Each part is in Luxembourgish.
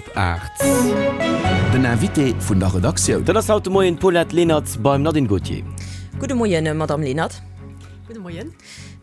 Op 8. Den Invité vun der Redaktioun. Dat ass haut de Moien d'Paulette Lenert beim Nadine Gautier. Gudde Moien, Madamm Lenert. Gudde Moien.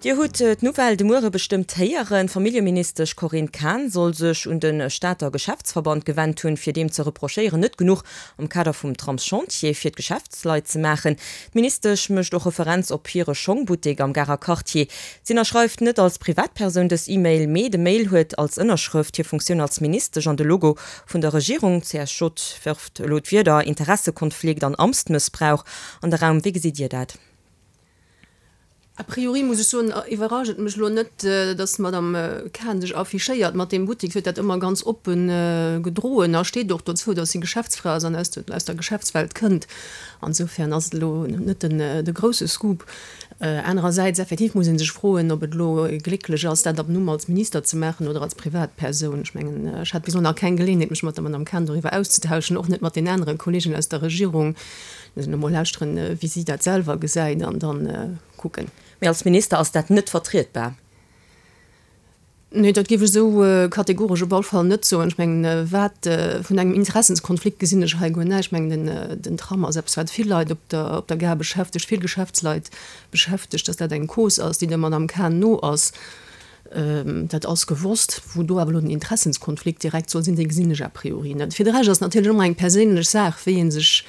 Dir hutt d'Nouvelle de Muere bestëmmt héieren, D'Familljeministesch Corinne Cahen soll sech un de Stater Geschäftsverband gewennt hunn, fir deem ze reprochéieren, net genuch am Kader vum Tramschantier fir d'Geschäftsleit ze maachen. D'Ministesch mécht och Referenz op hire Schongbuttek am Garer Quartier. Si ënnerschreift net als Privatpersoun dës E-Mail, mee de Mail huet als Ënnerschrëft hir Funktioun als Ministesch an de Logo vun der Regierung. D'CSJ wërft elo d'Wierder Interessekonflikt an Amtsmëssbrauch an de Raum. Wéi gesitt Dir dat? A priori muss ech soen, iwwerrascht et mech elo net, datt d'Madame Cahen sech affichéiert mat deem Buttek. Si huet dat ëmmer ganz oppe gedroen a steet och dozou, datt si Geschäftsfra ass an aus der Geschäftswelt kënnt. Insofern ass et elo net de grousse Scoop. Anerersäits, effektiv muss ee sech froen, ob et elo glécklech ass, dat ab Numm als Minister ze maachen oder als Privatpersoun. Ech mengen, ech hat bis elo nach keng Geleeënheet, mech mat der Madame Cahen doriwwer auszetauschen, och net mat den anere Kolleegen aus der Regierung. Muss een emol lauschteren, wéi si dat selwer gesäit an da kucken. Mee als Minister ass dat net vertrietbar. Nee, dat géif ech esou kategoresch op all Fall net soen. Ech mengen, wat vun engem Interessenskonflikt gesinn ech hei guer näischt. Ech mengen, den Tram ass eppes, wat vill Leit op der op der Gare beschäftegt, vill Geschäftsleit beschäftegt. Datt dat eng Cause ass, déi der Madame Cahen no ass, dat ass gewosst. Wou do awer elo den Interessenskonflikt direkt soll sinn, dee gesinn ech a priori net. Fir de Rescht ass et natierlech ëmmer eng perséinlech Saach, wéi ee sech,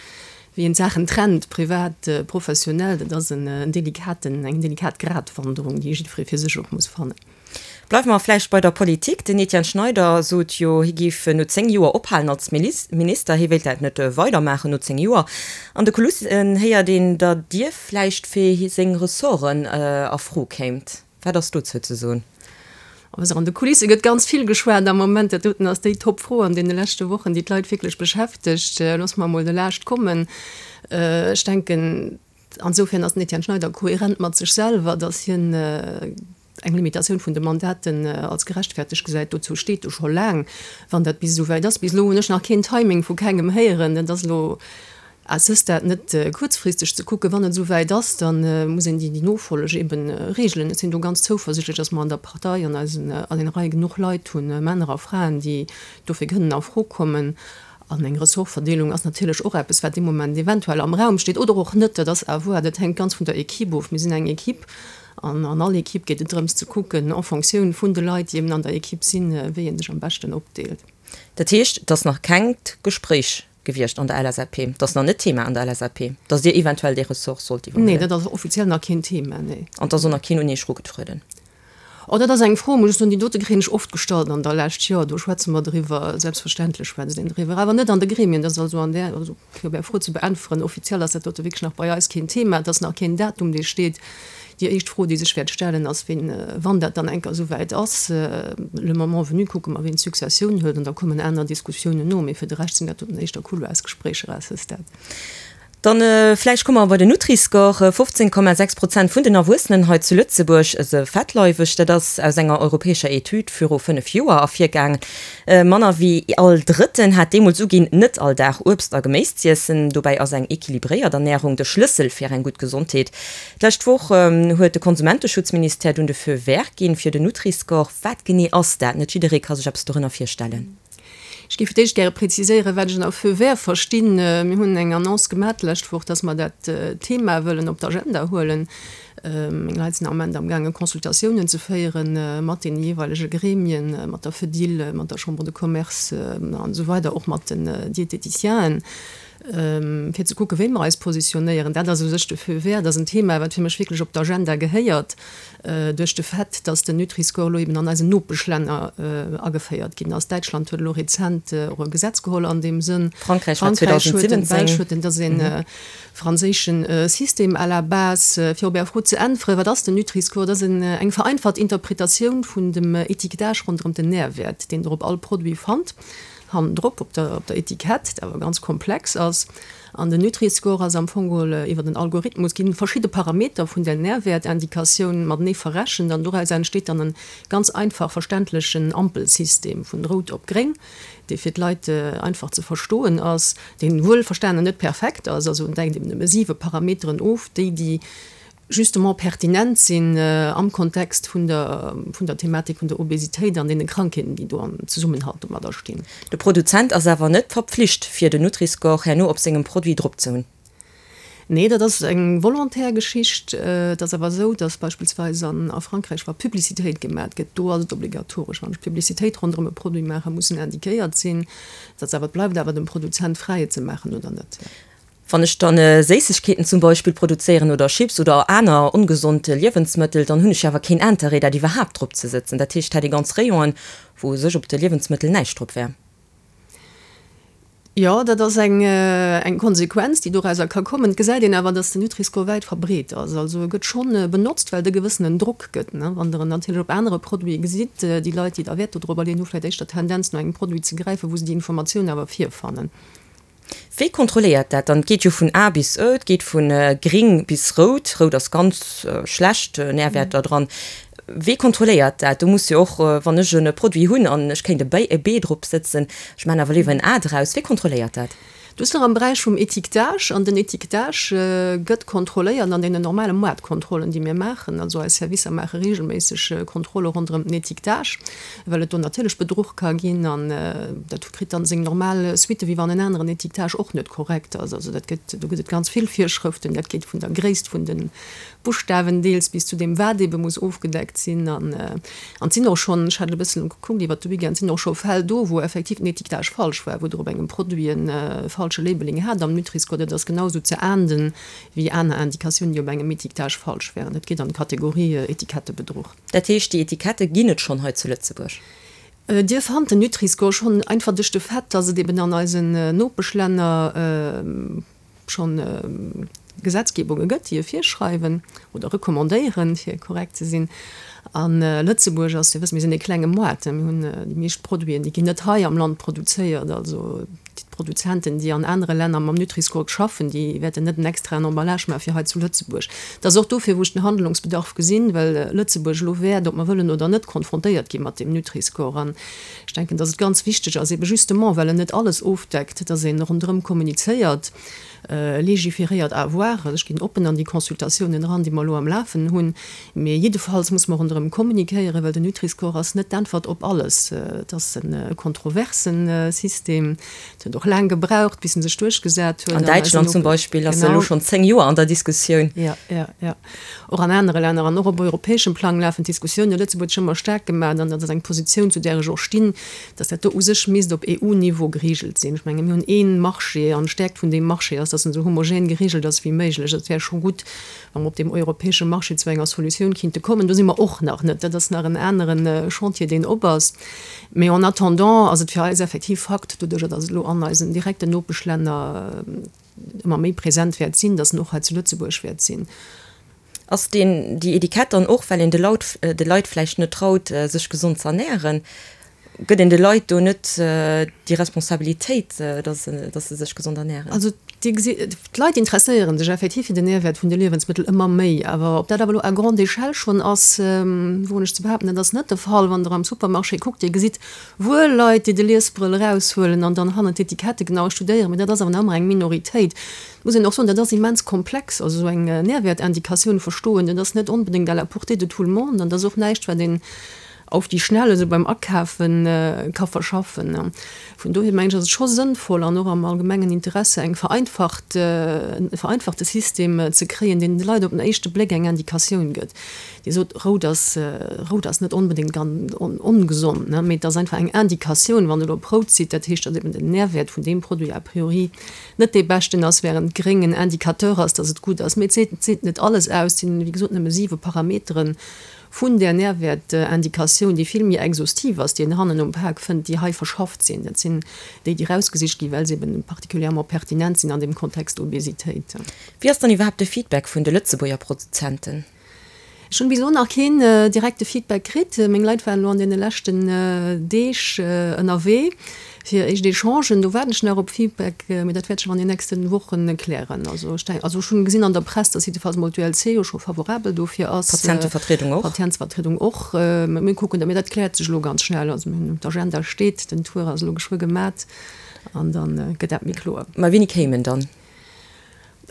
wéi een d'Saachen trennt, privat, professionell. Dat ass en delikaten, eng delikat Gratwanderung, déi jiddweree fir sech och muss fannen. Bleiwe mer vläicht bei der Politik. Den Etienne Schneider sot jo, hie géif no 10 Joer ophalen als Minister. Hie wéilt dat net weidermaachen no 10 Joer. An de Kulissen héiert een, datt Dir vläicht fir seng Ressorten a Fro kéimt. Wat ass dozou ze soen? Also an de Kulisse gëtt ganz vill geschwat am Moment. Dat doten ass déi Top-Fro an deene leschte Wochen, déi d'Leit wierklech beschäftegt. Loosse mer emol de Laascht kommen. Ech denken, Ansoufern ass den Etienne Schneider kohärent mat sech selwer, datt hien eng Limitatioun vun de Mandaten als gerechtfertegt gesäit. Dozou steet e scho laang, wann dat bis esou wäit ass. Bis elo hunn ech nach keen Timing vu kengem héieren. Dat ass elo à ce stade net kuerzfristeg ze kucken. Wann et esou wäit ass, da muss een déi Nofolleg eebe regelen. Ech sinn do ganz zouversichtlech, datt mer an der Partei an eisen an den Reie genuch Leit hunn, Männer a Fraen, déi dofir kënnen a Fro kommen. An eng Ressortverdeelung ass natierlech och eppes, wat dee Moment eventuell am Raum steet oder och net. Dat ass à voir, dat hänkt ganz vun der Equipe of. Mir sinn eng Equipe an an all Equipe geet et drëms ze kucken, en Fonctioun vun de Leit, déi eben an der Equipe sinn, wéi ee sech am beschten opdeelt. Dat heescht, et ass nach kengt Gespréich gewiescht an der LSAP, et ass nach net Thema an der LSAP, datt Dir eventuell dee Ressort sollt iwwerhuelen? Nee, dat ass offiziell nach keen Thema, nee. An et ass och nach keen un Iech erugetrueden? Oh, dat ass eng Fro, muss ech soen, déi dote kréien ech oft gestallt an der Lescht. Jo, do schwätze mer driwwer, selbstverständlech schwätzt een driwwer, awer net an de Gremien. Dat ass also an där, also fir op Är Fro ze beäntweren, offiziell ass dat dote wierklech nach bei eis keen Thema. Et ass nach keen Datum, dee steet. Déi éischt Fro, déi sech wäert stellen, ass, ween, wann dat dann eng Kéier esou wäit ass, le moment venu kucke mer, ween d'Successioun huet, an da kommen aner Diskussiounen no. Mee fir de Rescht sinn dat doten éischter Couloirsgespréicher à ce stade. Dann vläicht komme mer bei den Nutri-Score. 15,6 Prozent vun den Erwuessenen hei zu Lëtzebuerg se fettleiweg. Dat ass aus enger europäescher Etüd viru 5 Joer ervirgaangen. Manner wéi all Drëtten hat deemools uginn, net all Dag Uebst a Geméis z'iessen. Dobäi ass eng equilibréiert Ernärung de Schlëssel fir eng gutt Gesondheet. D'lescht Woch huet de Konsumenteschutzministère dunn de Feu vert ginn fir den Nutri-Score. Wat genee ass dat? Net jidderee ka sech eppes dorënner virstellen. Ech géif fir d'éischt gäre preziséieren, wat ech ënner Feu vert verstinn. Mir hunn eng Annonce gemaach d'lescht Woch, dass mer dat Thema wëllen op d'Agenda huelen. Meng Leit sinn am Ament amgaangen, Consultatiounen ze féiere mat deene jeeweilege Gremien, mat der Fedil, mat der Chambre de Commerce an esou weider, och mat den Diététicienen, fir ze kucken, wéi mer eis positionéieren. Dat ass u sech de Feu vert. Dat ass en Thema, wat fir mech wierklech op d'Agenda gehéiert. Duerch de Fait, dass den Nutri-Score elo eben an eisen Nopeschlänner ageféiert ginn ass. Däitschland huet elo rezent och e Gesetz geholl an deem Sënn. Frankräich war Frankräich huet en, d'Belsch 2017. huet en. Dat ass e franséische System à la base. Fir op Är Fro ze äntweren, Wat ass den Nutri-Score? Dat ass eng vereinfacht Interpretatioun vun dem Étiquetage ronderëm den Nährwäert, deen Der op all Produit fannt, hannendrop op der Etikett, dat awer ganz komplex ass. An den Nutri-Score ass am Fong geholl iwwer en Algorithmus ginn verschidde Parameter vun der Nährwertindikatioun matenee verrechent an doraus entsteet dann en ganz einfach verständlechen Ampelsystem vun rout op gréng, dee fir d'Leit einfach ze verstoen ass, deen wuelverstanen net perfekt ass, also en deckt eben nëmme 7 Parameteren of, déi déi. justement pertinent sinn am Kontext vun der, vun der Thematik vun der Obesitéit an deene Krankheeten, déi do am Zesummenhalt domadder stinn. De Produzent ass awer net verpflicht, fir den Nutri-Score herno op sengem Produit drop ze hunn. Nee, dat ass eng volontaire Geschicht. Et ass awer esou, datt beispillsweis an a Frankräich, wa Publicitéit gemat gëtt, do ass et obligatoresch, wann ech Publicitéit ronderëm e Produit maachen, muss en indiquéiert sinn. Et ass awer, et bleift awer dem Produzent fräi, et ze maachen oder net. Wann ech dann Séissegkeeten zum Beispill produzéieren oder Chips oder aner ongesond Liewensmëttel, dann hunn ech jo awer keen Interêt dat iwwerhaapt drop ze sëtzen. Dat heescht, hätt ee ganz Rayonen, wou u sech op de Liewensmëttel näischt drop wär. Jo, dat ass eng eng Konsequenz, déi dorauser ka kommen. Et gesäit een awer, datt den Nutri-Score wäit verbreet ass. Also e gëtt schonn benotzt, well et e gewëssenen Drock gëtt. Wann Der en natierlech op anere Produite gesitt, déi Leit, déi da Wäert dodrop leeën, hu vläicht éischter d'Tendenz, no engem Produit ze gräifen, wou se déi Informatioun awer virfannen. Wéi kontrolléiert dat dann? Et geet jo vun A bis Ë, et geet vu gring bis rout, rout ass ganz schlecht Nährwäerter dran. Wee kontrolléiert dat? Do muss jo och, wann ech e Produit hunn an ech kéint e B drop sëtzen, ech maachen awer léiwer en A draus, wee kontrolléiert dat? Do ass nach am Beräich vum Étiquetage, an den Étiquetage gëtt kontrolléiert an deenen normale Moartkontrollen, déi mir maachen. Also eis Servicer maache regelméisseg Kontrolle ronderëm den Étiquetage, well et do natierlech Bedruch ka ginn an dat kritt dann seng normal Suitte wéi wann en aneren Étiquetage och net korrekt ass. Also dat gëtt, do gëtt et ganz vill Virschrëften, dat geet vun der Gréisst vun de Buschtawen deels bis zu deem wat ebe muss ofgedeckt sinn. An et sinn och schonn, ech hat e bëssen gekuckt iwwert de Weekend, sinn och scho Fäll do, wou effektiv den Étiquetage falsch war, wou Der op engem Produit e falsche Labeling hat am Nutri-Score. Dat ass genau esou ze ahnden wéi aner Indikatiounen, déi op engem Étiquetage falsch wären. Dat geet an d'Kategorie Etikettebedruch. Dat heescht, déi Etikette ginn et schonn hei zu Lëtzebuerg? Dir fannt den Nutri-Score schonn, einfach duerch de Fait, dass et eben an eisen Nopeschlänner schonn Gesetzgebunge gëtt, déi e virschreiwen oder recommandéieren, fir korrekt ze sinn. A Lëtzebuerg ass, Dir wësst, mir sinn e klenge Moart, mir hunn déi meescht Produiten, déi ginn net hei am Land produzéiert. Also D'Produzenten, déi an anere Länner mam Nutri-Score schaffen, déi wäerten net en extraen Emballage maache fir hei zu Lëtzebuerg. Et ass och dofir, wou ech den Handlungsbedarf gesinn, well Lëtzebuerg elo wäert, ob mer wëllen oder net, konfrontéiert gi mat deem Nutri-Score. An ech denken, dass et ganz wichteg ass, ebe justement well en net alles ofdeckt, dass ee ronderëm kommunizéiert, Légiféréiert à voir. Ech ginn oppen an déi Consultatiounen eran, déi mer elo am Lafen hunn. Mee jiddefalls muss mer ronderëm kommunikéieren, well den Nutri-Score ass net d'Äntwert op alles. Et ass e kontroverse System. Et huet och laang gebraucht, bis en sech duerchgesat huet. An Däitschland zum Beispill ass e elo schonn 10 Joer an der Diskussioun. Jo, jo, jo. Och an anere Länner an och op europäeschem Plang lafen d'Diskussiounen. Lëtzebuerg huet sech ëmmer staark gemaach, an dat ass eng Positioun, zu där ech och stinn, dass dat do u sech misst op EU-Niveau geregelt sinn. Ech menge mir hunn ee Marché an d'Stäerkt vun deem Marché ass, dass en esou homogen geregelt ass wéi méiglech. Et wär scho gutt, wa mer op deem europäesche Marché zu enger Solutioun kinnte kommen. Do si mer och nach net. Dat ass nach en anere Chantier, deen op ass. Mee en attendant ass et fir eis effektiv Fakt, doduerjer dass et elo an eisen direkten Nopeschlänner ëmmer méi present wäert sinn, dass en och hei zu Lëtzebuerg wäert sinn. Ass deen, déi Etikett dann och, well een de Laut, de Leit vläicht net traut, sech gesond ze ernähren? Gëtt een de Leit do net déi Responsabilitéit, dass, dass se sech gesond ernähren? Also Dir gesitt, d'Leit interesséiere sech effektiv fir den Nährwäert vun de Liewensmëttel ëmmer méi. Awer ob dat awer elo à grande échelle schonn ass, woen ech ze behaapten, dat ass net de Fall. Wann Der am Supermarché kuckt, Dir gesitt wuel Leit, déi de Liesbrëll eraushuelen an dann hannen d'Etikette genau studéieren, mee dat ass awer nach ëmmer eng Minoritéit. Et muss een och soen, dat ass immens komplex, also esou eng Nährwertindikatioun verstoen, dat ass net onbedéngt à la portée de tout le monde an dat ass och näischt, wat een auf die Schnelle esou beim Akafe ka verschaffen. Vun dohier mengen ech, ass et scho sënnvoll an och am allgemengen Interesse eng vereinfacht, e vereinfachte System ze kréien, deen de Leit op den éischte Bléck eng Indikatioun gëtt. Dir sot, rout ass, rout ass net onbedéngt ongesond, ne, mee et ass einfach eng Indikatioun, wann Der elo op rout sidd, dat heescht, datt eben den Nährwäert vun deem Produit a priori net dee beschten ass, während gréng en Indicateur ass, datt et gutt ass. Mee et seet, et seet net alles aus, et sinn, wéi gesot, nëmme siwe Parameteren vun där Nährwäertindikatioun, déi vill méi exhaustiv ass, déi een hannen um Pak fënnt, déi hei verschafft sinn. Dat sinn déi, déi erausgesicht ginn, well se eben particulièrement pertinent sinn an deem Kontext Obesitéit. Wéi ass dann iwwerhaapt de Feedback vun de Lëtzebuerger Produzenten? Ech hunn bis elo nach keen direkte Feedback kritt. Meng Leit waren elo an deene leschten Deeg ënnerwee fir éischt Echangen. Do waarden ech nach op Feedback, mee dat wäert sech an den nächsten Wochen klären. Also ech denken, also ech hunn gesinn an der Press, dass jiddefalls mol d'ULC jo scho favorabel dofir ass. D'Patientevertriedung och. D'Patientevertriedung och. Mir kucken dat, mee dat kläert sech elo ganz schnell. Also mir hunn, d'Agenda steet, den Tour ass elo geschwë gemat an dann gëtt dat méi kloer. Mä wéini kéim en dann?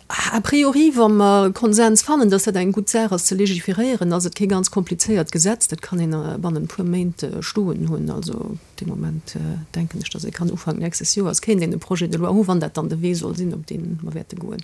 A priori, wa mer Konsens fannen, dass dat eng gutt Saach ass ze legiferéieren, ass et kee ganz komplizéiert Gesetz. Dat kann een bannent e puer Méint stoen hunn. Also dee Moment denken ech, dass ee kann Ufank nächstes Joers kéint een e Projet de loi hu wann dat dann de Wee soll sinn, op dee mer wäerte goen.